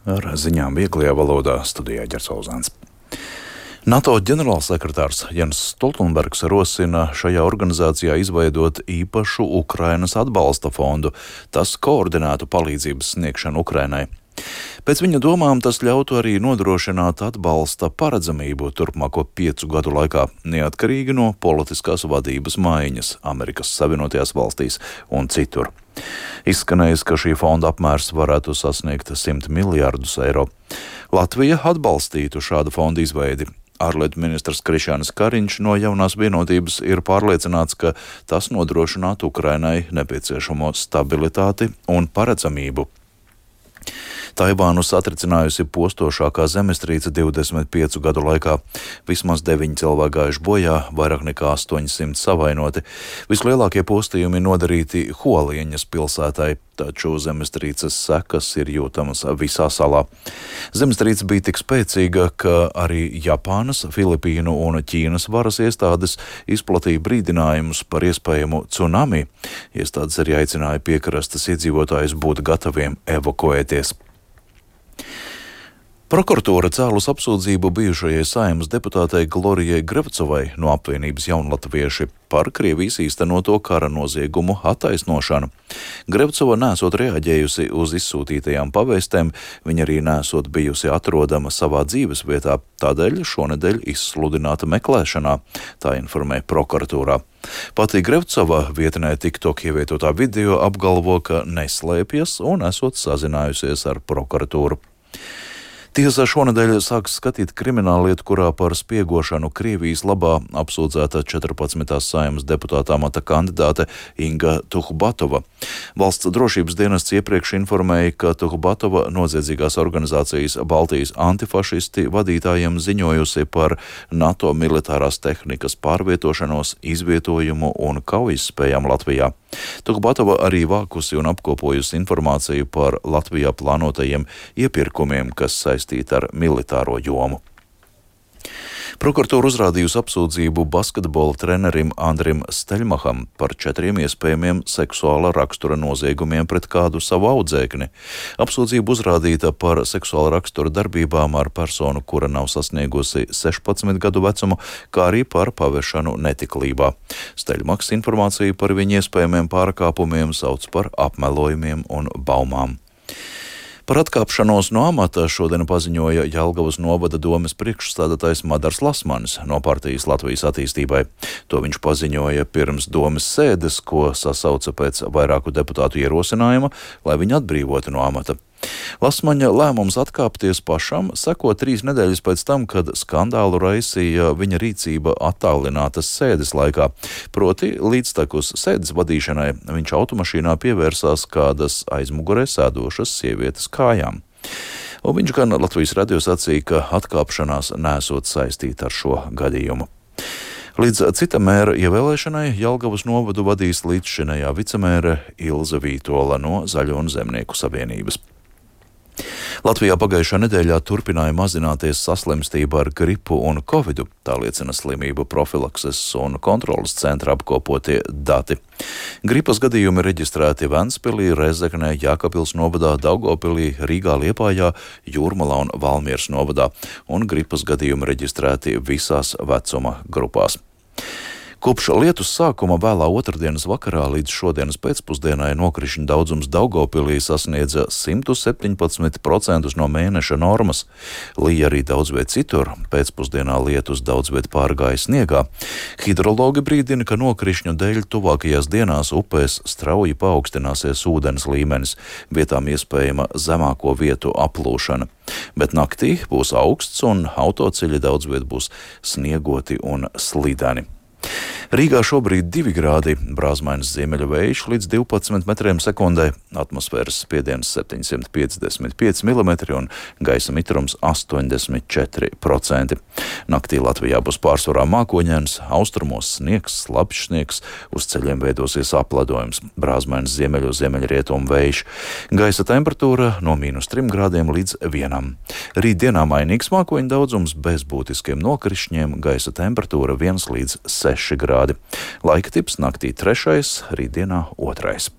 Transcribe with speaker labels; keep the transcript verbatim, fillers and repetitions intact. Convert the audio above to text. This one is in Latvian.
Speaker 1: Ar ziņām vieglajā valodā studijā Ģercauzāns. NATO ģenerālsekretārs Jens Stoltenbergs rosina šajā organizācijā izveidot īpašu Ukrainas atbalsta fondu. Tas koordinētu palīdzības sniegšanu Ukrainai. Pēc viņa domām tas ļautu arī nodrošināt atbalsta paredzamību turpmāko piecu gadu laikā, neatkarīgi no politiskās vadības maiņas Amerikas Savienotajās valstīs un citur. Izskanējis, ka šī fonda apmērs varētu sasniegt simt miljārdus eiro. Latvija atbalstītu šādu fondu izveidi. Ārlietu ministrs Krišjānis Kariņš no Jaunās vienotības ir pārliecināts, ka tas nodrošinātu Ukrainai nepieciešamo stabilitāti un paredzamību. Taivānu satricinājusi postošākā zemestrīce divdesmit piecu gadu laikā. Vismaz deviņi cilvēki gājuši bojā, vairāk nekā astoņsimt savainoti. Vislielākie postījumi nodarīti Hualieņas pilsētai, taču zemestrīces sekas ir jūtamas visā salā. Zemestrīce bija tik spēcīga, ka arī Japānas, Filipīnu un Ķīnas varas iestādes izplatīja brīdinājumus par iespējamu tsunami. Iestādes arī aicināja piekrastes iedzīvotājus būt gataviem evakuēties. Prokuratūra cēlus apsūdzību bijušajai Saeimas deputātei Glorijai Grevcovai no apvienības Jaunlatvieši par Krievijas īstenoto kara noziegumu attaisnošanu. Grevcova nesot reaģējusi uz izsūtītajām pavēstēm, viņa arī nesot bijusi atrodama savā dzīves vietā, tādēļ šonedēļ izsludināta meklēšanā, tā informē prokuratūrā. Pati Grevcova vietnē TikTok ievietotā video apgalvo, ka neslēpjas un esot sazinājusies ar prokuratūru. Tiesa šonedēļ sāks skatīt krimināllietu, kurā par spiegošanu Krievijas labā apsūdzēta četrpadsmitās Saeimas deputāta amata kandidāte Inga Tuhbatova. Valsts drošības dienests iepriekš informēja, ka Tuhbatova noziedzīgās organizācijas Baltijas antifašisti vadītājiem ziņojusi par NATO militārās tehnikas pārvietošanos, izvietojumu un kaujas-spējām Latvijā. Tuhbatova arī vākusi un apkopojusi informāciju par Latvijā plānotajiem iepirkumiem, kas saistīti ar militāro jomu. Prokuratūra uzrādījusi apsūdzību basketbola trenerim Andrim Steļmaham par četriem iespējamiem seksuāla rakstura noziegumiem pret kādu savu audzēkni. Apsūdzība uzrādīta par seksuāla rakstura darbībām ar personu, kura nav sasniegusi sešpadsmit gadu vecumu, kā arī par pavešanu netiklībā. Steļmahs informāciju par viņa iespējamiem pārkāpumiem sauc par apmelojumiem un baumām. Par atkāpšanos no amata šodien paziņoja Jelgavas novada domes priekšstādātājs Madars Lasmanis no partijas Latvijas attīstībai. To viņš paziņoja pirms domes sēdes, ko sasauca pēc vairāku deputātu ierosinājuma, lai viņu atbrīvotu no amata. Lasmaņa lēmums atkāpties pašam seko trīs nedēļas pēc tam, kad skandālu raisīja viņa rīcība attālinātas sēdes laikā. Proti, līdztekus sēdes vadīšanai viņš automašīnā pievērsās kādas aizmugurē sēdošas sievietes kājām. Un viņš gan Latvijas radio sacīja, ka atkāpšanās nesot saistīta ar šo gadījumu. Līdz cita mēra ievēlēšanai Jelgavas novadu vadīs līdzšinējā vicemēre Ilze Vītola no Zaļo un Zemnieku savienības. Latvijā pagājušā nedēļā turpināja mazināties saslimstība ar gripu un covidu, tā liecina slimību profilakses un kontrolas centra apkopotie dati. Gripas gadījumi reģistrēti Ventspilī, Rezeknē, Jēkabpils novadā, Daugavpilī, Rīgā, Liepājā, Jūrmalā un Valmieras novadā, un gripas gadījumi reģistrēti visās vecuma grupās. Kopš lietus sākuma vēlā otrdienas vakarā līdz šodienas pēcpusdienai nokrišņu daudzums Daugavpilī sasniedza simt septiņpadsmit procentus no mēneša normas. Lija arī daudz viet citur, pēcpusdienā lietus daudz viet pārgāja sniegā. Hidrologi brīdina, ka nokrišņu dēļ tuvākajās dienās upēs strauji paaugstināsies ūdens līmenis, vietām iespējama zemāko vietu aplūšana. Bet naktī būs augsts un autoceļi daudz viet būs sniegoti un slideni. Rīgā šobrīd divi grādi, brāzmainas ziemeļu vējš līdz divpadsmit metriem sekundē, atmosfēras spiediens septiņsimt piecdesmit pieci milimetri un gaisa mitrums astoņdesmit četri procenti. Naktī Latvijā būs pārsvarā mākoņains, austrumos sniegs, slapjš sniegs, uz ceļiem veidosies apledojums, brāzmainas ziemeļu ziemeļrietumu vējš. Gaisa temperatūra no mīnus trim grādiem līdz vienam. Rītdienā mainīgs mākoņu daudzums bez būtiskiem nokrišņiem, gaisa temperatūra viens līdz seši grādi. Laika tips naktī trešais, rītdienā otrais.